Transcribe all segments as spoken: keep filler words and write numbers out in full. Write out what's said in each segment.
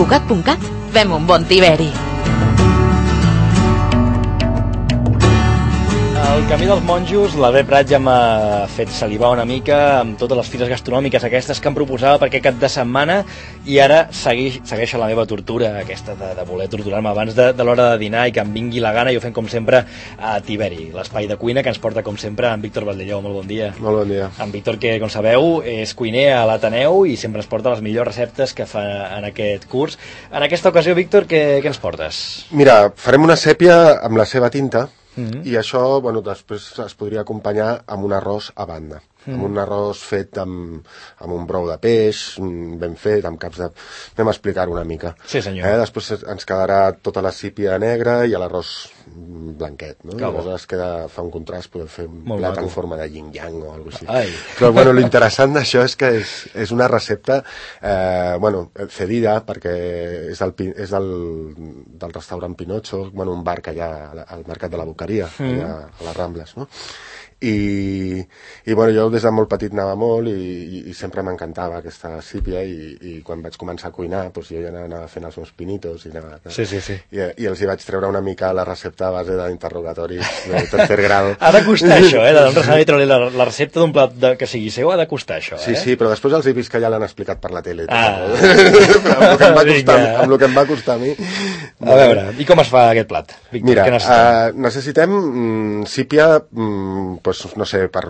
Cugat punt cat, fem un bon tiberi. El camí dels monjos, l'Albert Prat ja m'ha fet salivar una mica amb totes les fires gastronòmiques aquestes que em proposava per aquest cap de setmana, i ara segueix, segueixo la meva tortura aquesta de, de voler torturar-me abans de, de l'hora de dinar i que em vingui la gana, i ho fem com sempre a Tiberi, l'espai de cuina que ens porta com sempre en Víctor Valdelló. Molt bon dia. Molt bon dia. En Víctor, que com sabeu és cuiner a l'Ateneu i sempre ens porta les millors receptes que fa en aquest curs. En aquesta ocasió, Víctor, què, què ens portes? Mira, farem una sèpia amb la seva tinta. Mm-hmm. I això, bueno, després es podria acompanyar amb un arròs a banda. Mm. Amb un arròs fet amb, amb un brou de peix, ben fet, amb caps de... Anem a explicar-ho una mica. Sí, senyor. Eh? Després ens quedarà tota la sípia negra i l'arròs blanquet, no? I aleshores queda, fa un contrast, podem fer un Molt plat maco. en forma de yin-yang o alguna cosa així. Ai. Però, bueno, l'interessant d'això és que és, és una recepta, eh, bueno, cedida, perquè és, del, és del, del restaurant Pinocho, bueno, un bar que hi ha al Mercat de la Boqueria, mm. allà a les Rambles, no? I, i bueno, jo des de molt petit anava molt i, i, i sempre m'encantava aquesta sípia, i, i quan vaig començar a cuinar, doncs jo ja anava fent els meus pinitos i, anava, sí, sí, sí. i, i els hi vaig treure una mica la recepta a base d'interrogatoris de tercer grau. Ha de costar això, eh? De un restaurant i treure la, la recepta d'un plat de, que sigui seu ha de costar això, eh? Sí, sí, però després els he vist que ja l'han explicat per la tele. Ah. amb, el que em va costar, amb el que em va costar a mi. A veure, i com es fa aquest plat, Víctor? Mira, què necessitem? Uh, necessitem mm, sípia, mm, pues, no sé, per,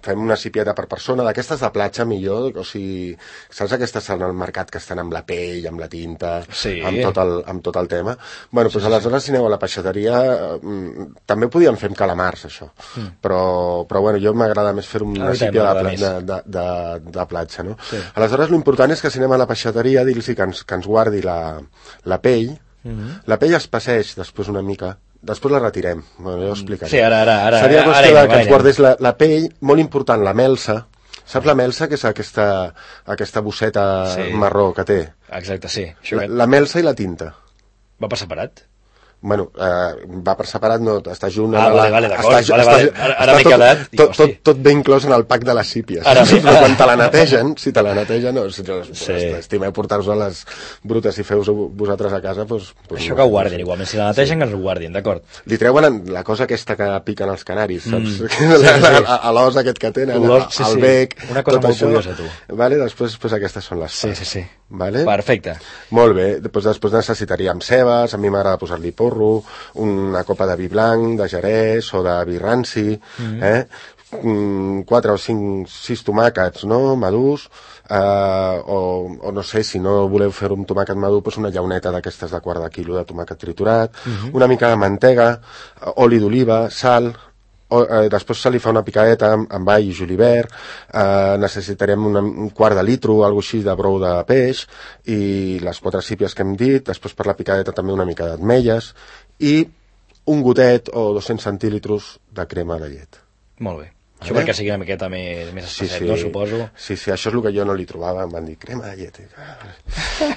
fem una sípieta per persona, d'aquestes de platja millor, o sigui, saps aquestes al mercat que estan amb la pell, amb la tinta, sí. amb, tot el, amb tot el tema? Bueno, doncs sí, aleshores si aneu a la peixateria, mm, també podíem fer amb calamars, això, mm. però, però bueno, jo m'agrada més fer una ah, sípia de, de, de, de, de platja, no? Sí. Aleshores l'important és que si anem a la peixateria dir-los que, ens, que ens guardi la, la pell. Mm-hmm. La pell es passeix després una mica. Després la retirem, bueno, ja ho explicaré. Sí, ara, ara, ara. Seria qüestió ara, de que ens guardés la, la pell, molt important, la melsa. Saps la melsa, que és aquesta, aquesta bosseta sí. marró que té? Exacte, sí. La, la melsa i la tinta. Va per separat? Bueno, eh, va per separat, no, està junt... Ah, vale, vale, d'acord, vale, vale, ara, ara m'he quedat... Tot, tot, tot ben inclòs en el pack de les sípies. Ara, sí, però quan te la netegen, si te la netegen, no, si sí. estimeu portar-vos a les brutes i feu-vos vosaltres a casa, doncs... doncs això no, que ho guardin, igualment, si la netegen, sí. que ens ho guardin, d'acord. Li treuen la cosa aquesta que piquen els canaris, saps? Mm. Sí, sí, sí. A l'os aquest que tenen, sí, al sí. bec... Una cosa molt curiosa, tu. Vale, després, després aquestes són les parts. Sí, sí, sí. Vale? Perfecte. Molt bé, després, després necessitaríem cebes, a mi m'agrada posar-li porro, una copa de vi blanc, de jerès o de vi ranci, mm-hmm. eh? quatre o cinc, sis tomàquets, no?, madurs, eh, o, o no sé, si no voleu fer un tomàquet madur, doncs una llauneta d'aquestes de quart de quilo de tomàquet triturat, mm-hmm. una mica de mantega, oli d'oliva, sal... O, eh, després se li fa una picadeta amb, amb all i julivert, eh, necessitarem una, un quart de litro, alguna així de brou de peix, i les quatre sípies que hem dit, després per la picadeta també una mica d'ametlles, i un gotet o dos-cents centílitres de crema de llet. Molt bé. Això perquè sigui una miqueta més, més especial, sí, sí. no, suposo? Sí, sí, això és el que jo no li trobava, em van dir, crema de llet.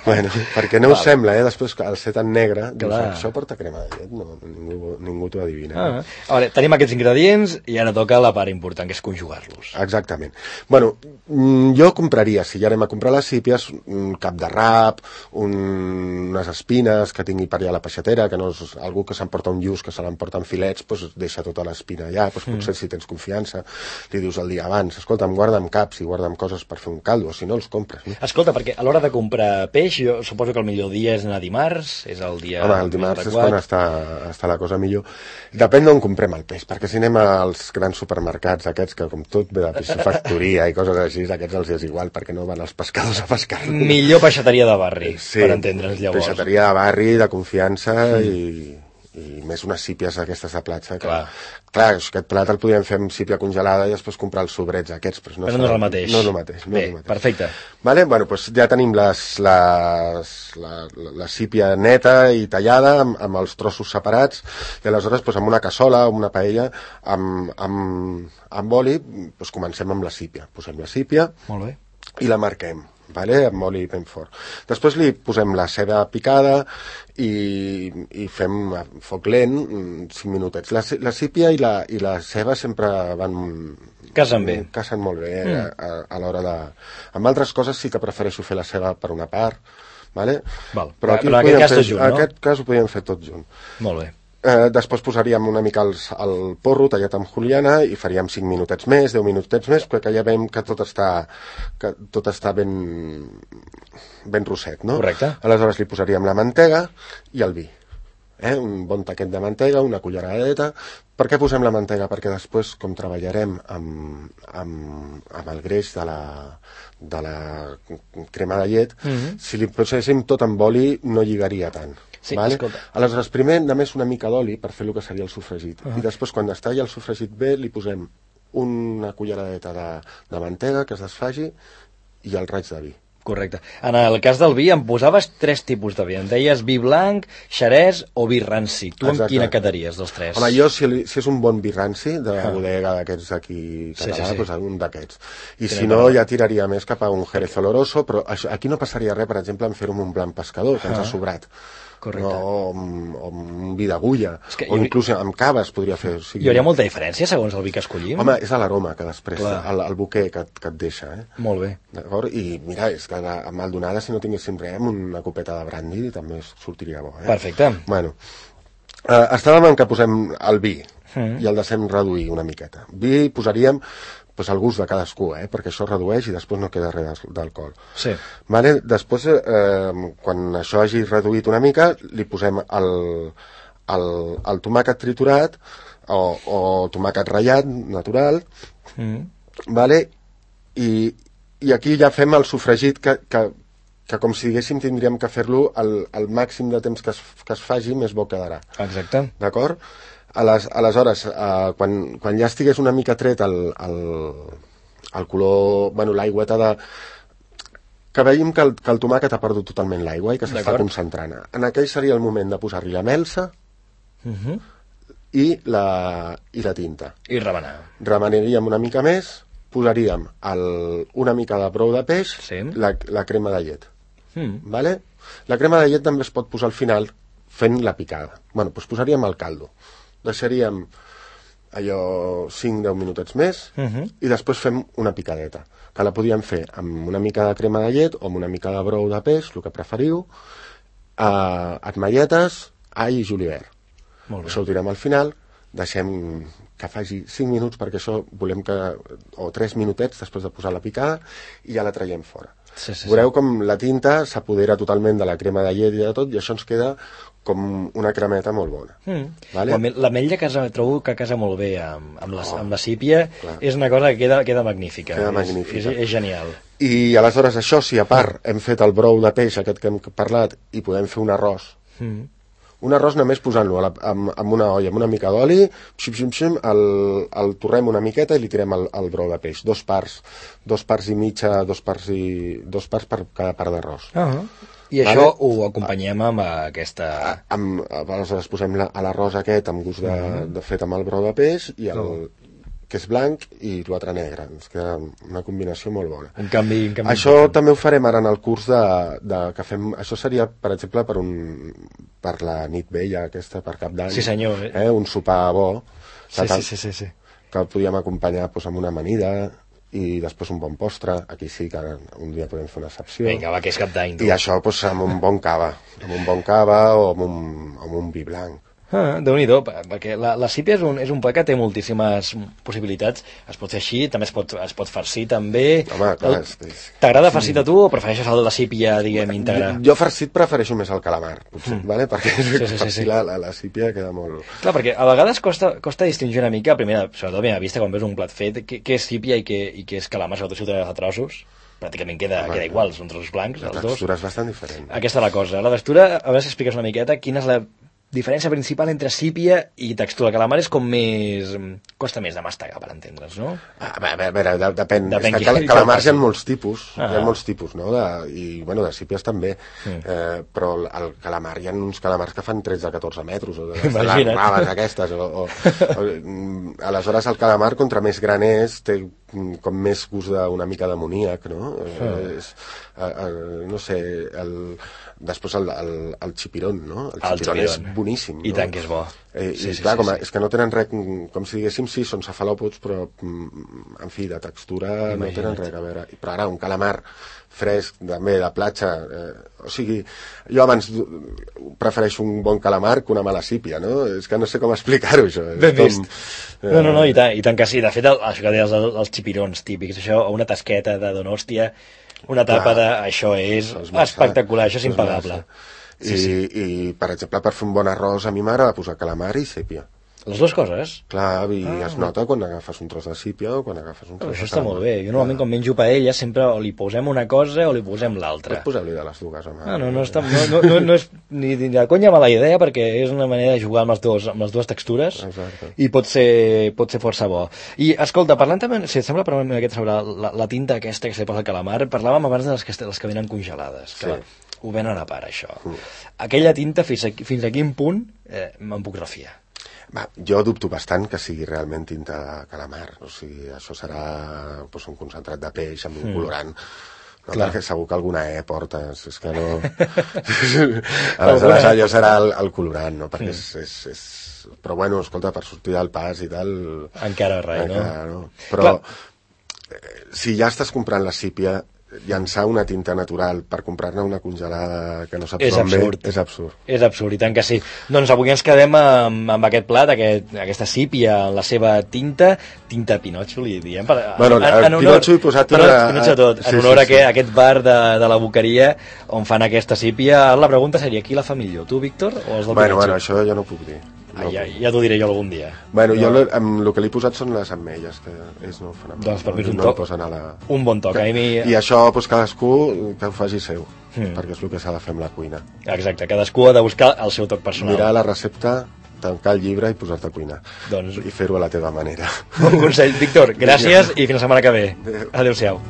Bueno, perquè no us sembla, eh? Després, al ser tan negre, dius, això porta crema de llet, no, ningú, ningú t'ho adivina. Ah, eh? A veure, tenim aquests ingredients i ara toca la part important, que és conjugar-los. Exactament. Bueno, jo compraria, si ja anem a comprar les sípies, un cap de rap, un, unes espines que tingui per allà a la peixatera, que no és algú que s'emporta un lluç, que se l'emporta en filets, doncs deixa tota l'espina allà, doncs potser mm. si tens confiança, li dius el dia abans, escolta'm, guarda'm caps i guarda'm coses per fer un caldo, si no els compres. No? Escolta, perquè a l'hora de comprar peix, jo suposo que el millor dia és anar dimarts, és el dia... Home, el dimarts és quan està, està la cosa millor. Depèn d'on comprem el peix, perquè si anem als grans supermercats aquests, que com tot ve de piscifactoria i coses així, aquests els és igual, perquè no van els pescadors a pescar-lo. Millor peixateria de barri, sí, per entendre'ns llavors. Peixateria de barri, de confiança mm. i... i més unes sípies aquestes de platja que, clar, clar aquest plat el podríem fer amb sípia congelada i després comprar els sobrets aquests, però no, però no és el mateix, no és el mateix, no bé, és el mateix. Perfecte. Vale? Bueno, doncs ja tenim les, les, la, la sípia neta i tallada amb, amb els trossos separats i aleshores doncs, amb una cassola o una paella amb, amb, amb oli doncs, comencem amb la sípia, posem la sípia molt bé. I la marquem, vale? Amb oli ben fort. Després li posem la ceba picada i, i fem a foc lent cinc minutets. La, la sípia i la, i la ceba sempre van... Casen bé. Casen molt bé mm. a, a, a l'hora de... Amb altres coses sí que prefereixo fer la ceba per una part, Vale? Val. Però, aquí Però en aquest cas tot junt, no? En aquest cas ho podíem fer tot junt. Molt bé. Eh, després posaríem una mica els, el porro tallat amb juliana i faríem cinc minutets més, deu minutets més, perquè ja veiem que tot està, que tot està ben, ben rosset, no? Correcte. Aleshores li posaríem la mantega i el vi. Eh? Un bon taquet de mantega, una culleradeta. Per què posem la mantega? Perquè després, com treballarem amb, amb, amb el greix de la, de la crema de llet, mm-hmm. si li poséssim tot amb oli no lligaria tant. Sí, vale? escolta. Aleshores, primer només una mica d'oli per fer el que seria el sofregit. Uh-huh. I després, quan està ja el sofregit bé, li posem una culleradeta de, de mantega que es desfagi i el raig de vi. Correcte. En el cas del vi em posaves tres tipus de vi. Em deies vi blanc, xerès o vi ranci. Tu amb quina quedaries dels tres? Home, jo, si, si és un bon vi ranci, de la ah. bodega d'aquests aquí català, sí, sí, sí. Doncs un d'aquests. I Tenen si no, ja tiraria més cap a un Jerez Oloroso, però això, aquí no passaria res, per exemple, en fer-ho amb un blanc pescador, que ah. ens ha sobrat. Correcte. No, o un vi d'agulla, o inclús amb cava es podria fer. O sigui, hi hauria molta diferència segons el vi que escollim? Home, és l'aroma que després, el, el buquer que, que et deixa. Eh? Molt bé. D'acord? I mira, és que a Maldonada, si no tinguéssim res, amb una copeta de brandy també sortiria bo. Eh? Perfecte. Bueno, eh, estàvem en que posem el vi mm. i el deixem reduir una miqueta. Vi posaríem pues, al gust de cadascú, eh? Perquè això redueix i després no queda res d'alcohol. Sí. Vale? Després, eh, quan això hagi reduït una mica, li posem el, el, el tomàquet triturat o, o tomàquet ratllat, natural, mm. vale? I, i aquí ja fem el sofregit que, que, que com si diguéssim tindríem que fer-lo el, el màxim de temps que es, que es faci, més bo quedarà. Exacte. D'acord? Ales, aleshores, eh, quan, quan ja estigués una mica tret el, el, el color, bueno, l'aigüeta de... que veiem que el, que el tomàquet ha perdut totalment l'aigua i que s'està concentrant. En aquell seria el moment de posar-li la melsa uh-huh. i, la, i la tinta. I remenar. Remenaríem una mica més, posaríem el, una mica de brou de peix, sí. la, la crema de llet. Mm. Vale? La crema de llet també es pot posar al final fent la picada. Bueno, doncs posaríem el caldo. Deixaríem allò cinc a deu minutets més uh-huh. i després fem una picadeta, que la podíem fer amb una mica de crema de llet o amb una mica de brou de peix, el que preferiu, eh, ametlletes, all i julivert. Això ho tirem al final, deixem que faci cinc minuts perquè això volem que... o tres minutets després de posar la picada i ja la traiem fora. Sí, sí, Veureu sí. com la tinta s'apodera totalment de la crema de llet i de tot i això ens queda com una cremeta molt bona. Mm. Vale? L'ametlla casa, trobo que casa molt bé amb, amb, la, oh, amb la sípia, clar. És una cosa que queda, queda magnífica. Queda és, magnífica. És, és genial. I aleshores això, si a part hem fet el brou de peix aquest que hem parlat i podem fer un arròs, mm. un arròs només posant-lo amb, amb una olla, amb una mica d'oli, xim, xim, xim, el, el torrem una miqueta i li tirem el, el brou de peix. Dos parts, dos parts i mitja, dos parts, i, dos parts per cada part d'arròs. Uh-huh. I vale? Això ho acompanyem amb aquesta... Amb, aleshores posem la, a l'arròs aquest amb gust de, uh-huh. de fet amb el brou de peix i el, uh-huh. que és blanc i l'altre negre. Ens queda una combinació molt bona. Un canvi, un canvi això important. També ho farem ara en el curs de, de que fem... Això seria, per exemple, per, un, per la nit vella aquesta, per Cap d'Any. Sí, senyor. Eh? Un sopar bo. Sí, sí, sí, sí, sí. Que el podíem acompanyar doncs, amb una amanida i després un bon postre. Aquí sí que un dia podem fer una excepció. Vinga, va, que és Cap d'Any. I això doncs, amb un bon cava. Amb un bon cava o amb un, amb un vi blanc. Ah, Déu-n'hi-do, perquè la, la sípia és un, és un plat que té moltíssimes possibilitats. Es pot fer així, també es pot, es pot farcir també. Home, clar, és, és... T'agrada farcit a tu o prefereixes el de la sípia, diguem, íntegra? Jo, jo farcit prefereixo més el calamar, potser, mm. vale? Perquè sí, sí, sí, sí. La, la, la sípia queda molt... Clar, perquè a vegades costa, costa distingir una mica, primera, sobretot a primera vista, quan veus un plat fet, què, què és sípia i què, i què és calamar, sobretot si ho treus a trossos. Pràcticament queda, Home, queda igual, són trossos blancs, els dos. La textura és bastant diferent. Aquesta és la cosa. La textura, a veure si expliques una miqueta, quina és la diferència principal entre sípia i textura. Calamar és com més... costa més de mastegar, per entendre's, no? A veure, a veure de, depèn. depèn és que cal, calamars hi ha molts tipus, ah. hi ha molts tipus, no? De, I, bueno, de sípies també. Mm. Eh, però el calamar, hi ha uns calamars que fan tretze a catorze metres, o de les raves aquestes, o, o, o, aleshores el calamar, contra més gran és, té com més gust d'una mica d'amoníac, no? Ah. És, el, el, no sé, el, després el, el, el xipirón, no? El xipirón és boníssim. I no? tant que és bo. Eh, sí, I sí, clar, sí, com a, sí. és que no tenen res, com si diguéssim, sí, són cefalòpods, però, en fi, de textura Imagina't. No tenen res a veure. Però ara, un calamar fresc, també, de platja, eh, o sigui, jo abans prefereixo un bon calamar que una mala sípia, no? És que no sé com explicar-ho, això. Ben com, vist. Eh... No, no, no, i tant, i tant que sí. De fet, el, això que deies, els, els xipirons típics, això, una tasqueta de Donòstia, una tapa de... Això és, és espectacular, això és impagable. Sí, I, sí. I, per exemple, per fer un bon arròs, a mi m'agrada posar calamar i sèpia. Les dues coses? Clar, i ah, es nota quan agafes un tros de sípia o quan agafes un tros oh, de Això està molt bé. Jo normalment quan menjo paella sempre o li posem una cosa o li posem l'altra. Pots posar-li de les dues, home. Ah, no, no, està, no, no, no, no és ni de conya mala idea perquè és una manera de jugar amb les, dos, amb les dues textures. Exacte. I pot ser, pot ser força bo. I, escolta, parlant també, si et sembla, parlant una miqueta sobre la, la tinta aquesta que se posa al calamar, parlàvem abans de les que, les que venen congelades. Que sí. Ho venen a part, això. Mm. Aquella tinta, fins a, fins a quin punt eh, me'n puc refiar? Va, jo dubto bastant que sigui realment tinta de calamar, o sigui, això serà pues, un concentrat de peix amb un mm. colorant, no? Perquè segur que alguna E portes, és que no... Aleshores allò serà el, el colorant, no? Perquè mm. és, és, és... Però bueno, escolta, per sortir del pas i tal... Encara res, encara, no? no? Però eh, si ja estàs comprant la sípia, llançar una tinta natural per comprar-ne una congelada que no saps és on absurd. Bé, és absurd. És absurd, i tant que sí. Doncs avui ens quedem amb, amb aquest plat, aquest, aquesta sípia, la seva tinta, tinta Pinotxo, li diem. Per, bueno, en, en honor, Pinotxo he posat una... Pinotxo tot, en sí, honor sí, a, que, sí. a aquest bar de, de la Boqueria on fan aquesta sípia. La pregunta seria, qui la fa millor, tu, Víctor, o els del bueno, Pinotxo? Bueno, això jo no puc dir. Ah, ja, ja t'ho diré jo algun dia. Bueno, no. jo amb el que li he posat són les ametlles, que és no fenomenal. Doncs per mi és un no toc, a la... un bon toc. Que, mi... I això, doncs, cadascú que ho faci seu, mm. perquè és el que s'ha de fer amb la cuina. Exacte, cadascú ha de buscar el seu toc personal. Mirar la recepta, tancar el llibre i posar-te a cuinar. Doncs... I fer-ho a la teva manera. Bon consell. Víctor, gràcies i fins la setmana que ve. Adéu-siau.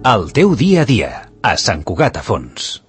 El teu dia a dia, a Sant Cugat a Fons.